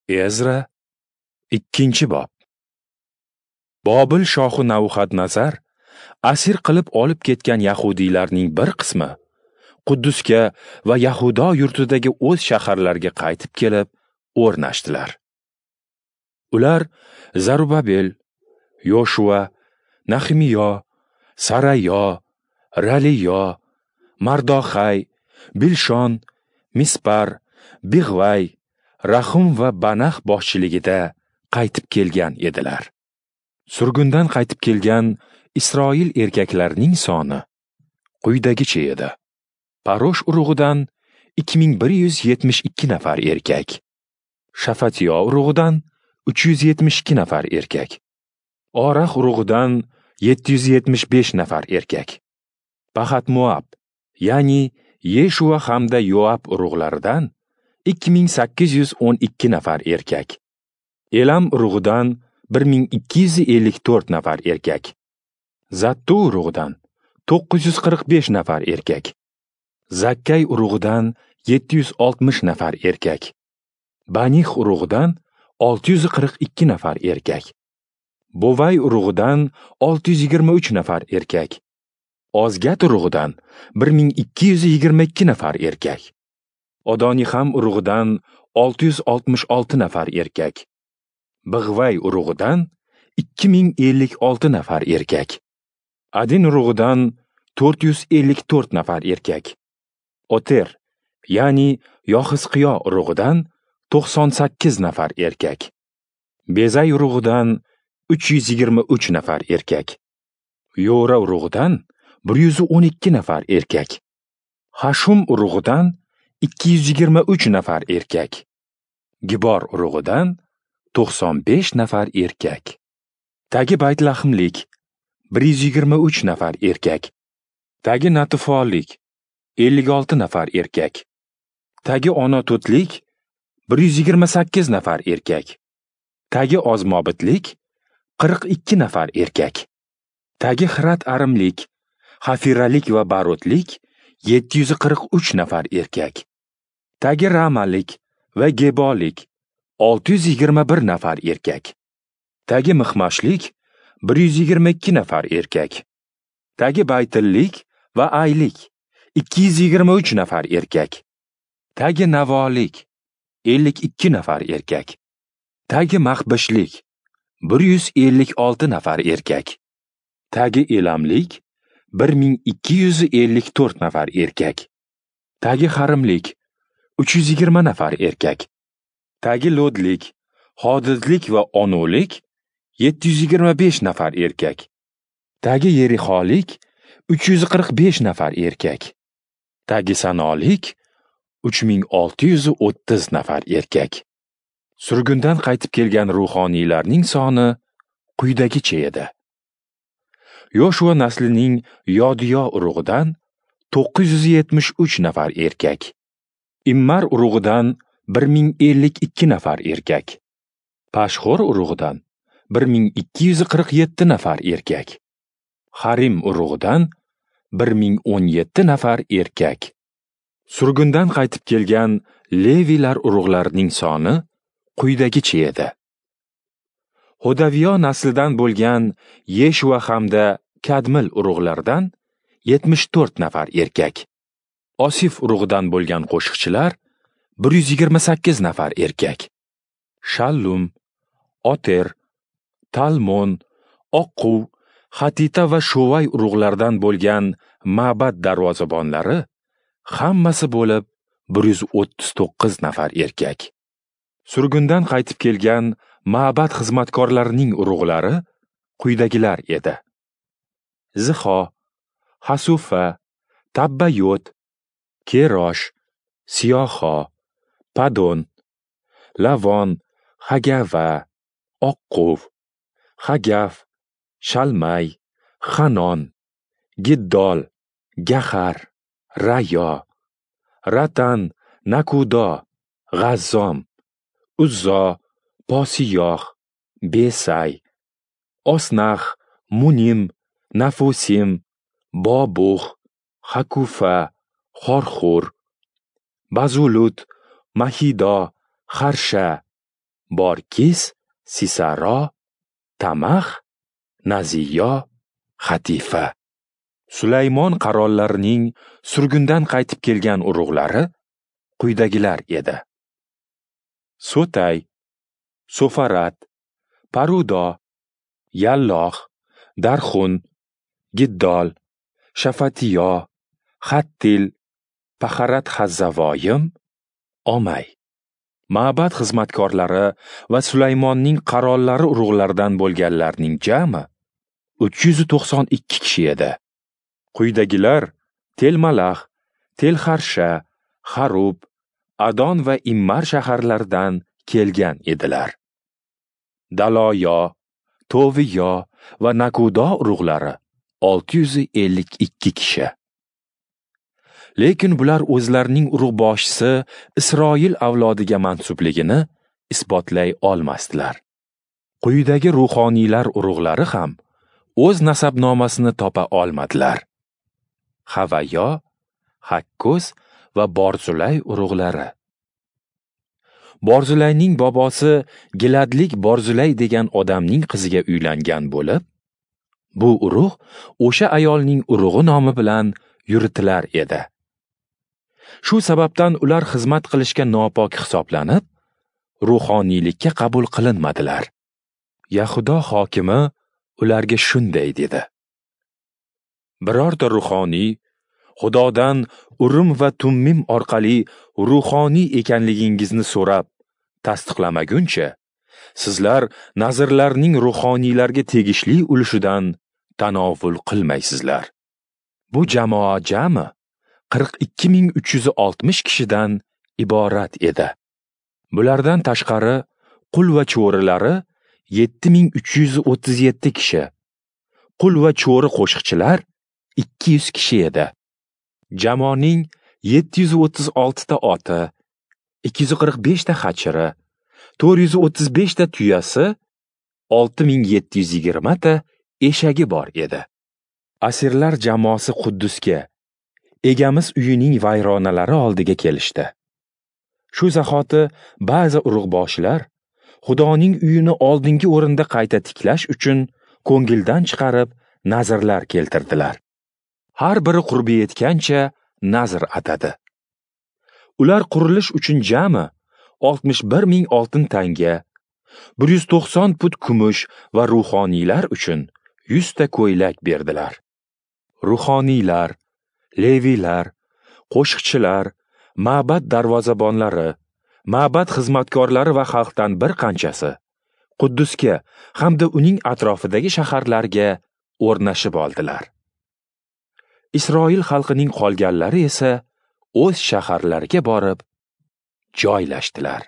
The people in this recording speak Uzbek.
Ezra, 2-bob. Bobil shohi Nabuxadnazar asir qilib olib ketgan yahudiylarning bir qismi Quddusga va Yahudo yurtidagi o'z shaharlariga qaytib kelib o'rnashdilar. Ular Zarubabel, Yoshua, Nahimiyo, Sarayo, Raliyo, Mardoxay, Bilshon, Mispar, Big'vay, Rahum va Banax boshchiligida qaytib kelgan edilar. Surgundan qaytib kelgan Isroil erkaklarining soni quyidagicha edi. Parosh urug'idan 2172 nafar erkak, Shafatiyo urug'idan 372 nafar erkak, Orax urug'idan 775 nafar erkak, Pahat-Moab, ya'ni Yeshua hamda Yoab urug'laridan 2812 nafar erkak, Elam urug'idan 1254 nafar erkak, Zattu urug'idan 945 nafar erkak, Zakkay urug'idan 760 nafar erkak, Banih urug'idan 642 nafar erkak, Bovay urug'idan 623 nafar erkak, Ozgat urug'idan 1222 nafar erkak, Odoniham urug'idan 666 nafar erkak, Big'vay urug'idan 2056 nafar erkak, Adin urug'idan 454 nafar erkak, Oter, ya'ni Yoxizqiyo urug'idan 98 nafar erkak, Bezay urug'idan 323 nafar erkak, Yora urug'idan 112 nafar erkak, Hashum urug'idan 223 nafar erkak, Gibor urug'idan 95 nafar erkak, Tagi Baytlahimlik 123 nafar erkak, Tagi Natifolik 56 nafar erkak, Tagi Onatotlik 128 nafar erkak, Tagi Ozmobitlik 42 nafar erkak, Tagi Xirat Arimlik, Xafiralik va Barotlik 743 nafar erkak, Tagi Ramalik va Gebolik 621 nafar erkak, Tagi Mixmashlik 122 nafar erkak, Tagi Baytillik va Aylik 223 nafar erkak, Tagi Navolik 52 nafar erkak, Tagi Maxbishlik 156 nafar erkak, Tagi Elamlik 1254 nafar erkak, Tagi Harimlik 320 nafar erkak, Tagi Lodlik, Hodidlik va Onolik 725 nafar erkak, Tagi Yerixolik 345 nafar erkak, Tagi Sanolik 3630 nafar erkak. Surgundan qaytib kelgan ruhoniylarning soni quyidagicha edi. Yoshua naslining Yodiyo urug'idan 973 nafar erkak, Immar urug'idan 1052 nafar erkak, Pashxur urug'idan 1247 nafar erkak, Harim urug'idan 1017 nafar erkak. Surgundan qaytib kelgan Levilar urug'larining soni quyidagicha edi. Hodaviyo naslidan bo'lgan Yeshua hamda Kadmil urug'laridan 74 nafar erkak, Osif urug'idan bo'lgan qo'shiqchilar 128 nafar erkak, Shallum, Oter, Talmon, Oqquv, Hatita va Shovay urug'laridan bo'lgan ma'bad darvozabonlari hammasi bo'lib 139 nafar erkak. Surgundan qaytib kelgan ma'bad xizmatkorlarining urug'lari quyidagilar edi: Zixo, Hasufa, Tabbayot, Kerosh, Siyoho, Padon, Lavon, Hagava, Oqquv, Hagaf, Shalmay, Hanon, Giddol, Gahar, Rayo, Ratan, Nakudo, G'azzom, Uzzo, Posiyoh, Besay, Osnax, Munim, Nafusim, Bobux, Hakufa, Xorxur, Bazulut, Mahido, Xarsha, Borkis, Sisaro, Tamax, Naziyo, Xatifa. Sulaymon qarollarining surgundan qaytib kelgan urug'lari quyidagilar edi: Sotay, Sofarat, Parudo, Yalloh, Darxun, Giddol, Shafatiyo, Hattil, Paharat Hazzavoyim, Omay. Ma'bad xizmatkorlari va Sulaymonning qarollari urug'laridan bo'lganlarning jami 392 kishi edi. Quyidagilar Telmalax, Telxarsha, Xarub, Adon va Immar shaharlaridan kelgan edilar. Daloyo, Toviyo va Nakudo urug'lari 652 kishi. Lekin bular o'zlarining urug'boshisi Isroil avlodiga mansubligini isbotlay olmasdilar. Quyidagi ruhoniylar urug'lari ham o'z nasabnomasini topa olmadilar: Havayo, Hakkoz va Borzulay urug'lari. Borzulayning bobosi Giladlik Borzulay degan odamning qiziga uylangan bo'lib, bu urug' o'sha ayolning urug'i nomi bilan yuritilar edi. Shu sababdan ular xizmat qilishga nopok hisoblanib, ruhoniylikka qabul qilinmadilar. Yahudo hokimi ularga shunday dedi: Birorta ruhoniy Xudodan Urim va Tummim orqali ruhoniy ekanligingizni so'rab tasdiqlamaguncha, sizlar nazirlarning ruhoniylarga tegishli ulushidan tanovul qilmaysizlar. Bu jamoa jami 42360 kishidan iborat edi. Bulardan tashqari qul va cho'rilari 7337 kishi, qul va cho'ri qo'shiqchilar 200 kishi edi. Jamoaning 736 ta oti, 245 ta xachiri, 435 ta tuyasi, 6720 ta eshagi bor edi. Asirlar jamoasi Quddusga, egamiz uyining vayronalari oldiga kelishdi. Shu zahoti ba'zi urug'boshilar Xudoning uyini oldingi o'rinda qayta tiklash uchun ko'ngildan chiqarib nazrlar keltirdilar. Har biri qurbi yetgancha nazr atadi. Ular qurilish uchun jami 61 ming oltin tanga, 190 put kumush va ruhoniylar uchun 100 ta ko'ylak berdilar. Ruhoniylar, leviylar, qo'shiqchilar, ma'bad darvozabonlari, ma'bad xizmatkorlari va xalqdan bir qanchasi Quddusga hamda uning atrofidagi shaharlarga o'rnashib oldilar. Isroil xalqining qolganlari esa o'z shaharlariga borib joylashdilar.